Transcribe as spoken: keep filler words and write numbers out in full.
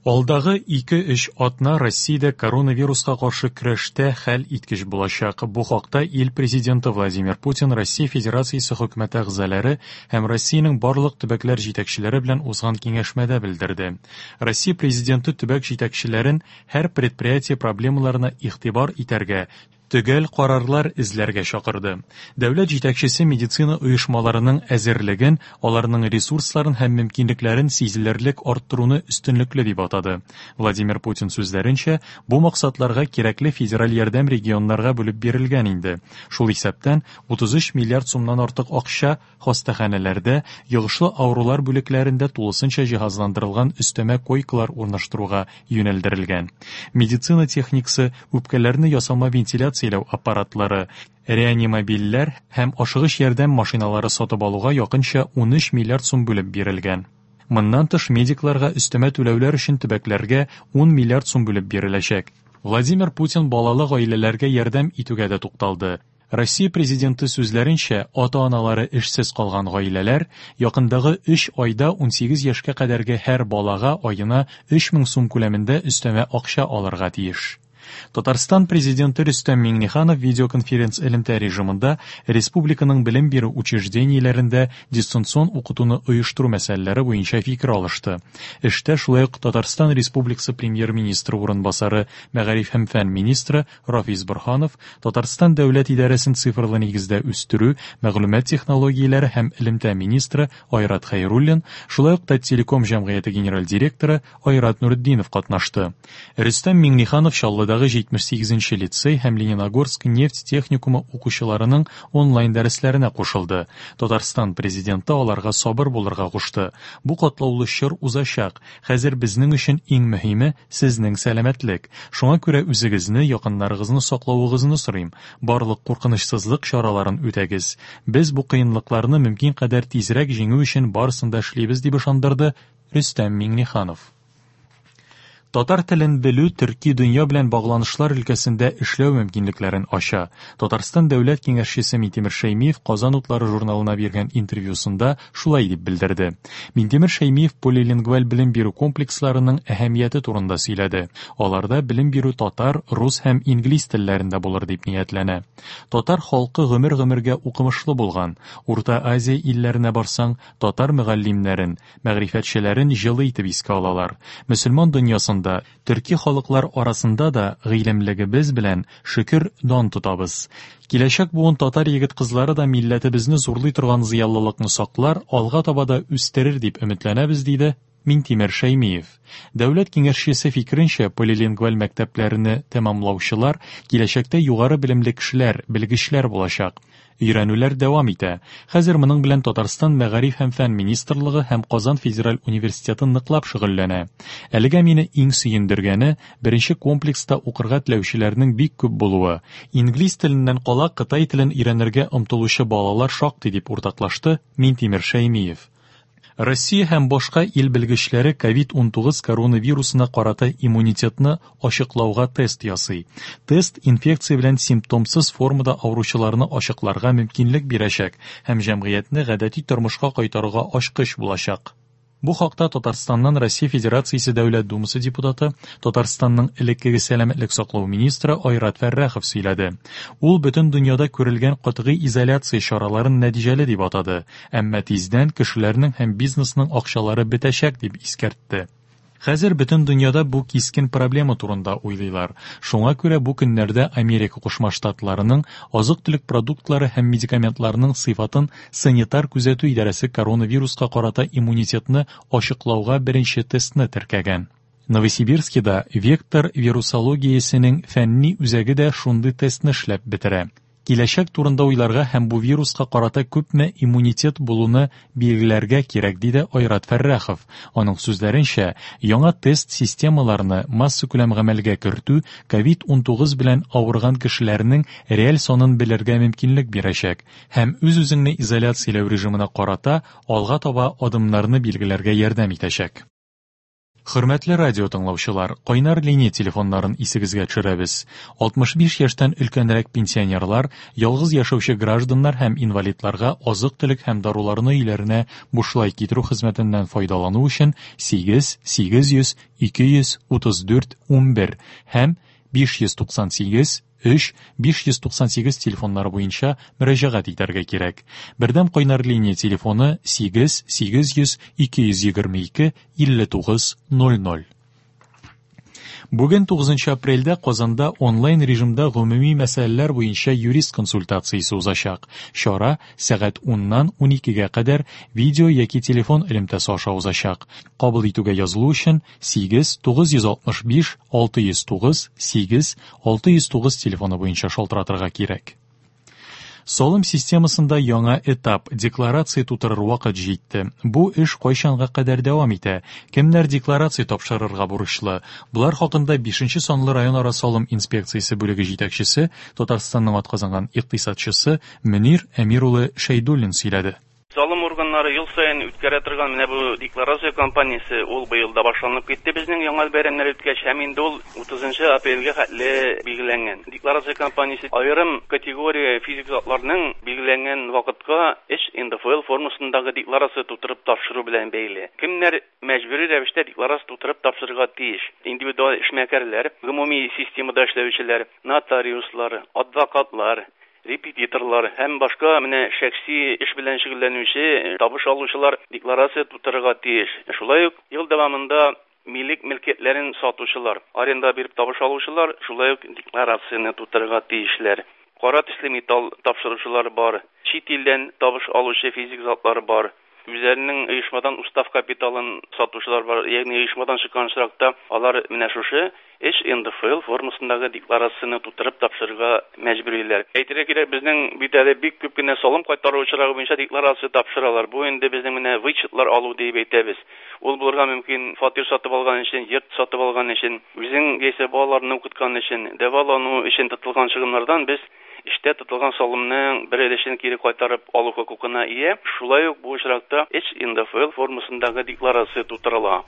Алдагы ике-өч атна Россиядә коронавируска каршы көрәштә хәл иткеч булачак. Бу хакта ил президенты Владимир Путин Россия Федерациясе хөкүмәте әгъзалары һәм Россиянең барлык төбәкләр җитәкчеләре белән узган киңәшмәдә белдерде. Россия президенты төбәк җитәкчеләрен һәр предприятие проблемаларына игътибар итәргә, төгәл карарлар эзләргә чакырды. Дәүләт җитәкчесе медицина оешмаларының әзерлеген, аларның ресурсларын һәм мөмкинлекләрен сизелерлек арттыруны өстенлекле дип атады. Владимир Путин сүзләренчә, бу максатларга кирәкле федераль ярдәм регионнарга бүлеп бирелгән инде. Шул исәптән утыз өч миллиард сумнан артык акча хастаханәләрдә, йогышлы авырулар бүлекләрендә тулысынча җиһазландырылган өстәмә койкалар урнаштыруга юнәлдерелгән. Медицина техникасы, үпкәләрне ясалма вентиляцияләү аппаратлары, реанимобильләр һәм ашыгыч ярдәм машиналары сатып алуга якынча ун өч миллиард сум бүлеп бирелгән. Моннан тыш медикларга өстәмә түләүләр өчен төбәкләргә ун миллиард сум бүлеп биреләчәк. Владимир Путин балалы гаиләләргә ярдәм итүгә дә тукталды. Россия президенты сүзләренчә, ата-аналары эшсез калган гаиләләр якындагы өч айда ун сигез яшькә кадәрге һәр балага аена өч мең сум күләмендә өстәмә акча алырга тиеш. Татарстан президенты Рөстәм Миңнеханов видеоконференц элемтә режимында республиканың белем бирү учреждениеләрендә дистанцион укытуны оештыру мәсьәләләре буенча фикер алышты. Эштә шулай ук Татарстан Республикасы премьер-министры урынбасары, мәгариф һәм фән министры Рафис Борһанов, Татарстан дәүләт идарәсен цифрлы нигездә үстерү, мәгълүмат технологияләре һәм элемтә министры Айрат Хәйруллин, шулай ук Таттелеком җәмгыяте генераль директоры Айрат Нуретдинов катнашты. Рөстәм Миңнеханов Чаллыдагы җитмеш сигезенче лицей һәм Лениногорск нефть техникумы укучыларының онлайн дәресләренә кушылды. Татарстан президенты аларга сабыр булырга кушты. Бу катлаулы чор узачак. Хәзер безнең өчен иң мөһиме сезнең сәламәтлек. Шуңа күрә үзегезне, якыннарыгызны саклавыгызны сорыйм. Барлык куркынычсызлык чараларын үтәгез. Без бу кыенлыкларны мөмкин кадәр тизрәк җиңү өчен барысын да эшлибез, дип ышандырды Рөстәм Миңнеханов. Татар телен белү төрки дөнья белән багланышлар өлкәсендә эшләү мөмкинлекләрен ача. Татарстан дәүләт киңәшчесе Минтимер Шәймиев Казан утлары журналына биргән интервьюсында шулай дип белдерде. Минтимер Шәймиев полилингваль белем бирү комплексларының әһәмияте турында сөйләде. Аларда белем бирү татар, рус һәм инглиз телләрендә булыр дип ниятләнә. Татар халкы гомер-гомергә укымышлы булган. Урта Азия илләренә барсаң, татар мөгаллимнәрен, мәгърифәтчеләрен җылы итеп искә алалар. Мөселман дөньясында төрки халыклар арасында да гыйлемлегебез белән шөкер дан тотабыз. Киләчәк буын татар егет-кызлары да милләтебезне зурлый торган зыялылыкны саклар, алга таба да үстерер дип өметләнәбез, диде Минтимер Шәймиев. Дәүләт киңәшчесе фикеренчә, полилингваль мәктәпләрне тәмамлаучылар киләчәктә югары белемле кешеләр, белгечләр булачак. Өйрәнүләр дәвам итә. Хәзер моның белән Татарстан Мәгариф һәм фән министрлыгы һәм Казан федераль университеты ныклап шөгыльләнә. Әлегә мине иң сөендергәне беренче комплекста укырга теләүчеләрнең бик күп булуы. Инглиз теленнән кала кытай телен өйрәнергә омтылучы балалар шактый, дип уртаклашты Минтимер Шәймиев. Россия һәм башка ил белгечләре ковид унтугыз коронавирусына карата иммунитетны ачыклауга тест ясый. Тест инфекция белән симптомсыз формада авыручыларны ачыкларга мөмкинлек бирәчәк һәм җәмгыятьне гадәти тормышка кайтаруга ачкыч булачак. Бу хакта Татарстаннан Россия Федерациясе Дәүләт Думасы депутаты, Татарстанның элеккеге сәламәтлек саклау министры Айрат Фәррахов сөйләде. Ул бөтен дөньяда күрелгән катгый изоляция чараларын нәтиҗәле дип атады, әмма тиздән кешеләрнең һәм бизнесның акчалары бетәчәк дип искәртте. Хәзер бөтен дөньяда бу кискен проблема турында уйлыйлар. Шуңа күрә бу көннәрдә Америка Кушма Штатларының азык-төлек продуктлары һәм медикаментларының сыйфатын санитар күзәтү идарәсе коронавируска карата иммунитетны ачыклауга беренче тестны теркәгән. Новосибирскида Вектор вирусологиясенең фәнни үзәге дә шундый тестны эшләп бетерә. Киләчәк турында уйларга һәм бу вируска карата күпме иммунитет булуны билгеләргә кирәк, диде Айрат Фәррахов. Аның сүзләренчә, яңа тест системаларны массакүләм гамәлгә кертү ковид унтугыз белән авырган кешеләрнең реаль санын белергә мөмкинлек бирәчәк һәм үз-үзеңне изоляцияләү режимына карата алга таба адымнарны билгеләргә ярдәм итәчәк. Хөрмәтле радио тыңлаучылар, кайнар линия телефоннарын исегезгә төшерәбез. алтмыш биш яшьтән өлкәнрәк пенсионерлар, ялгыз яшәүче гражданнар һәм инвалидларга азык-төлек һәм даруларны өйләренә бушлай китерү хезмәтеннән файдалану өчен сигез сигез йөз ике йөз утыз дүрт унбер һәм биш йөз туксан сигез өч биш йөз туксан сигез телефоннары буенча мөрәҗәгать итәргә кирәк. Бердәм кайнар линия телефоны сигез сигез йөз ике йөз егерме ике илле тугыз ноль ноль. Бүген тугызынчы апрельдә Казанда онлайн режимда гомуми мәсьәләләр буенча юрист консультациясе узачак. Чара сәгать уннан уникегә кадәр видео яки телефон элемтәсе аша узачак. Кабул итүгә язылу өчен сигез тугыз йөз алтмыш биш алты йөз тугыз сигез алты йөз тугыз телефоны буенча шалтыратырга кирәк. Салым системасында яңа этап декларация тутырыр вакыт җитте. Бу эш кайчанга кадәр дәвам итә? Кемнәр декларация тапшырырга бурычлы? Булар хакында бишенче санлы районара салым инспекциясе бүлеге җитәкчесе, Татарстанның атказанган икътисадчысы Мөнир Әмир улы Шәйдуллин сөйләде. Салым органнары ел саен үткәрә торган менә бу декларация кампаниясе ул быел да башланып китте безнең яңа бәйрәмнәр үткәч һәм инде ул утызынчы апрельгә хәтле билгеләнгән. Декларация кампаниясе аерым категория физик затларның билгеләнгән вакытка эш эн дэ эф эл формасындагы декларация тутырып тапшыру белән бәйле. Кемнәр мәҗбүри рәвештә декларация тутырып тапшырырга тиеш? Индивидуаль эшмәкәрләр, гомуми системада эшләүчеләр, нотариуслар, адвокатлар, репетиторлар һәм башка менә шәхси эш белән шөгыльләнүче табыш алучылар декларация тутырырга тиеш. Шулай ук ел дәвамында милек мөлкәтләрен сатучылар, аренда биреп табыш алучылар шулай ук декларацияне тутырырга тиешләр. Кара төсле металл тапшыручылар бар, чит илдән табыш алучы физик затлар бар. Үзләренең оешмадан устав капиталын сатучылар бар, ягъни оешмадан чыккан очракта алар менә шушы эш эн дэ эф эл формасындагы декларацияне тутырып тапшырырга мәҗбүриләр. Әйтергә кирәк, безнең бит әле бик күп кенә салым кайтару очрагы буенча декларация тапшыралар. Бу инде безнең менә вычетлар алу дип әйтәбез. Ул булырга мөмкин фатир сатып алган өчен, йорт сатып алган өчен, үзең яисә балаларны укыткан өчен, дәвалану өчен тотылган чыгымнардан без эштә тотылган салымның бер өлешен кире кайтарып алу хокукына ия. Шулай ук бу очракта эш эн дэ эф эл формасындагы декларация тутырыла.